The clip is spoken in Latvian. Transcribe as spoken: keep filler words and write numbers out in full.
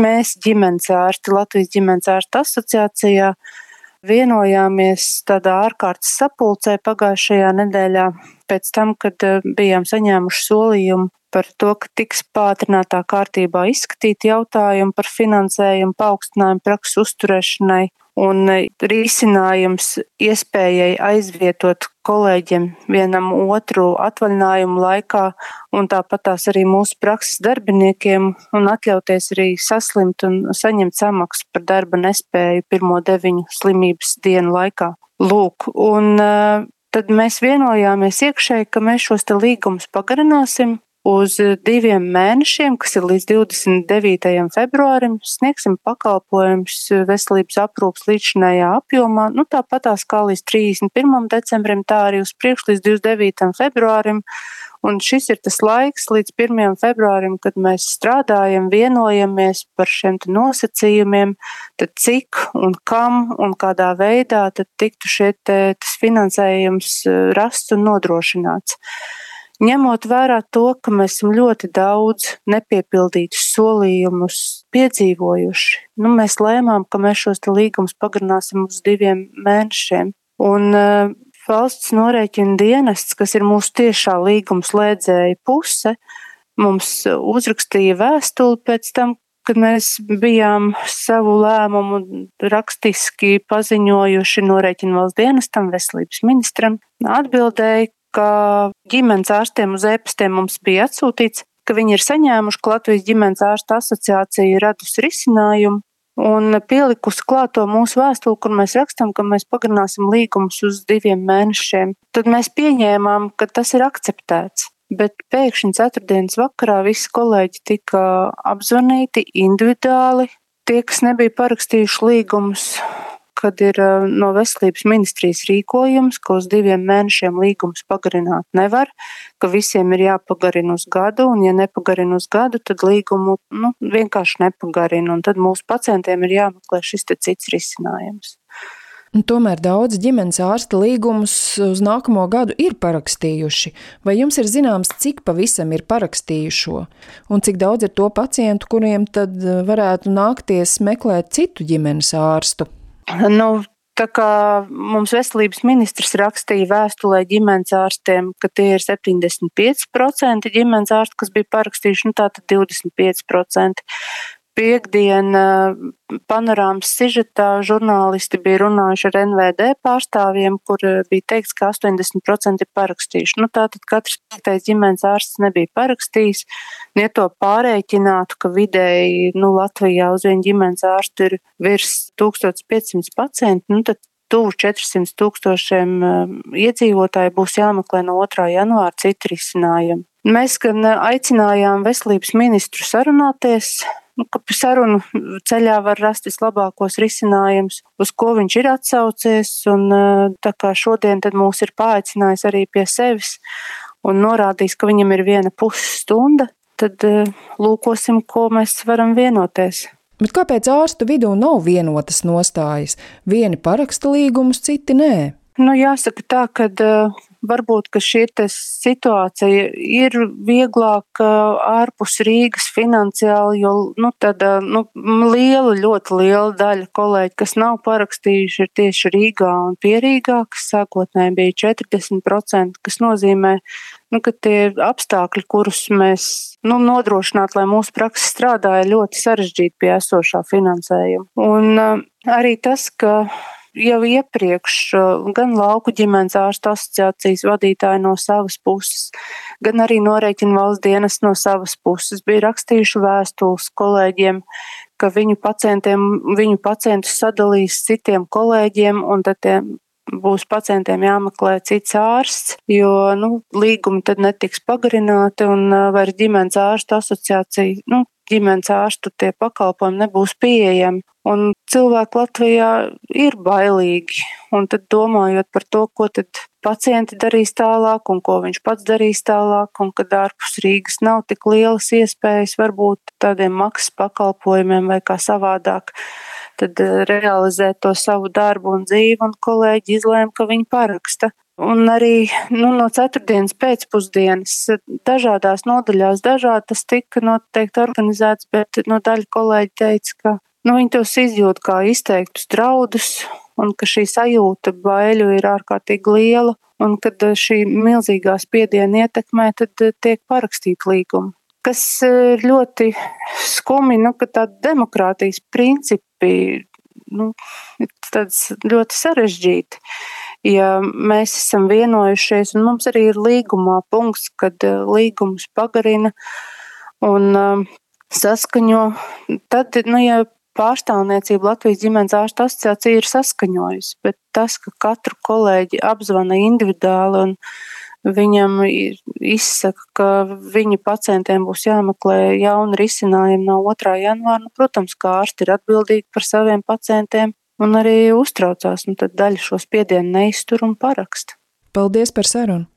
mēs ģimenes ārsti Latvijas ģimenes ārstu asociācijā vienojāmies tādā ārkārtas sapulcē pagājušajā nedēļā pēc tam, kad bijām saņēmuši solījumu par to, ka tiks pātrinātā kārtībā izskatīt jautājumu par finansējumu paaugstinājumu prakses uzturēšanai un risinājums iespējai aizvietot kolēģiem vienam otru atvaļinājumu laikā un tāpatās arī mūsu prakses darbiniekiem un atļauties arī saslimt un saņemt samaksu par darba nespēju pirmo deviņu slimības dienu laikā. Lūk, un tad mēs vienojāmies iekšēji, ka mēs šos te līgumus pagarināsim uz diviem mēnešiem, kas ir līdz divdesmit devītajam februārim, sniegsim pakalpojumus veselības aprūpas līdzinājā apjomā, nu tāpatās kā līdz trīsdesmit pirmam decembrim, tā arī uz priekšu līdz divdesmit devītajam februārim, un šis ir tas laiks līdz pirmajam februārim, kad mēs strādājam, vienojamies par šiem nosacījumiem, tad cik un kam un kādā veidā tad tiktu šie te, tas finansējums rasts un nodrošināts. Ņemot vērā to, ka mēs esam ļoti daudz nepiepildītus solījumus piedzīvojuši, nu, mēs lēmām, ka mēs šos te līgumus pagarināsim uz diviem mēnešiem. Un uh, valsts norēķina dienests, kas ir mūsu tiešā līguma slēdzēja puse, mums uzrakstīja vēstuli pēc tam, kad mēs bijām savu lēmumu rakstiski paziņojuši norēķina valsts dienestam, veselības ministram, atbildēja, ka ģimenes ārstiem uz e-pastiem mums bija atsūtīts, ka viņi ir saņēmuši, ka Latvijas ģimenes ārstu asociācija ir radusi risinājumu un pielikusi klāto mūsu vēstuli, kur mēs rakstam, ka mēs pagarināsim līgumus uz diviem mēnešiem. Tad mēs pieņēmām, ka tas ir akceptēts, bet pēkšņi ceturtdienas vakarā visi kolēģi tika apzvanīti individuāli, tie, kas nebija parakstījuši līgumus, kad ir no veselības ministrijas rīkojums, ka uz diviem mēnešiem līgumus pagarināt nevar, ka visiem ir jāpagarina uz gadu, un ja nepagarina uz gadu, tad līgumu nu, vienkārši nepagarina, un tad mūsu pacientiem ir jāmeklē šis te cits risinājums. Un tomēr daudz ģimenes ārsta līgumus uz nākamo gadu ir parakstījuši. Vai jums ir zināms, cik pavisam ir parakstījušo? Un cik daudz ir to pacientu, kuriem tad varētu nākties meklēt citu ģimenes ārstu? Nu, tā kā mums veselības ministrs rakstīja vēstulē ģimenes ārstiem, ka tie ir septiņdesmit pieci procenti ģimenes ārsti, kas bija parakstījuši, nu tātad divdesmit pieci procenti. Piektdien panorāmas sižetā žurnālisti bija runājuši ar N V D pārstāvjiem, kur bija teikts, ka astoņdesmit procenti ir parakstījuši. Nu, tātad katrs piektais ģimenes ārsts nebija parakstījis. Ja to pārēķinātu, ka vidēji nu, Latvijā uz vienu ģimenes ārstu ir virs tūkstoš piecsimt pacienti, nu, tad tuvu četrsimt tūkstošiem iedzīvotāji būs jāmeklē no otrā janvāra citi risinājumi. Mēs gan aicinājām veselības ministru sarunāties, nu, ka sarunu ceļā var rast vislabākos risinājumus, uz ko viņš ir atsaucies, un tā kā šodien tad mūs ir paaicinājis arī pie sevis un norādījis, ka viņam ir viena pusstunda, tad lūkosim, ko mēs varam vienoties. Bet kāpēc ārstu vidū nav vienotas nostājas? Vieni paraksta līgumus, citi nē? Nu, jāsaka tā, ka uh, varbūt, ka šī situācija ir vieglāk uh, ārpus Rīgas finansiāli, jo nu, tāda nu, liela, ļoti liela daļa kolēģi, kas nav parakstījuši, ir tieši Rīgā un pie Rīgā, kas sākotnēji bija četrdesmit procenti, kas nozīmē, nu, ka tie apstākļi, kurus mēs nu, nodrošināt, lai mūsu praksa strādāja, ļoti sarežģīti pie esošā finansējuma. Un uh, arī tas, ka jau iepriekš gan lauku ģimenes ārstu asociācijas vadītāji no savas puses, gan arī norēķina valsts dienas no savas puses bija rakstījuši vēstules kolēģiem, ka viņu pacientiem, viņu pacientus sadalīs citiem kolēģiem, un tad tie būs pacientiem jāmeklē cits ārsts, jo nu, līgumi tad netiks pagarināti un vairs ģimenes ārstu asociācija, nu, ģimenes ārstu tie pakalpojumi nebūs pieejami. Un cilvēki Latvijā ir bailīgi, un tad domājot par to, ko tad pacienti darīs tālāk un ko viņš pats darīs tālāk, un kad ārpus Rīgas nav tik lielas iespējas varbūt tādiem maksas pakalpojumiem vai kā savādāk, tad realizēt to savu darbu un dzīvi, un kolēģi izlēma, ka viņi paraksta. Un arī nu, no ceturtdienas pēcpusdienas dažādās nodaļās dažādi tas tika noteikti organizēts, bet no daļa kolēģi teica, ka nu, viņi tos izjūt kā izteiktus draudus un ka šī sajūta baiļu ir ārkārtīgi liela un kad šī milzīgā spiediena ietekmē, tad tiek parakstīti līgumi. Kas ir ļoti skumi, nu, ka tādi demokrātijas principi nu, ir tāds ļoti sarežģīti. Ja mēs esam vienojušies, un mums arī ir līgumā punkts, kad līgums pagarina un um, saskaņo, tad, nu, ja pārstāvniecība Latvijas ģimenes ārstu asociācija ir saskaņojusi, bet tas, ka katru kolēģi apzvana individuāli un viņam izsaka, ka viņa pacientiem būs jāmeklē jauni risinājumi no otrā janvāra, nu, protams, kā ārsti ir atbildīgi par saviem pacientiem, un arī uztraucās, un tad daļa šo spiedienu neiztur un paraksta. Paldies par sarunu!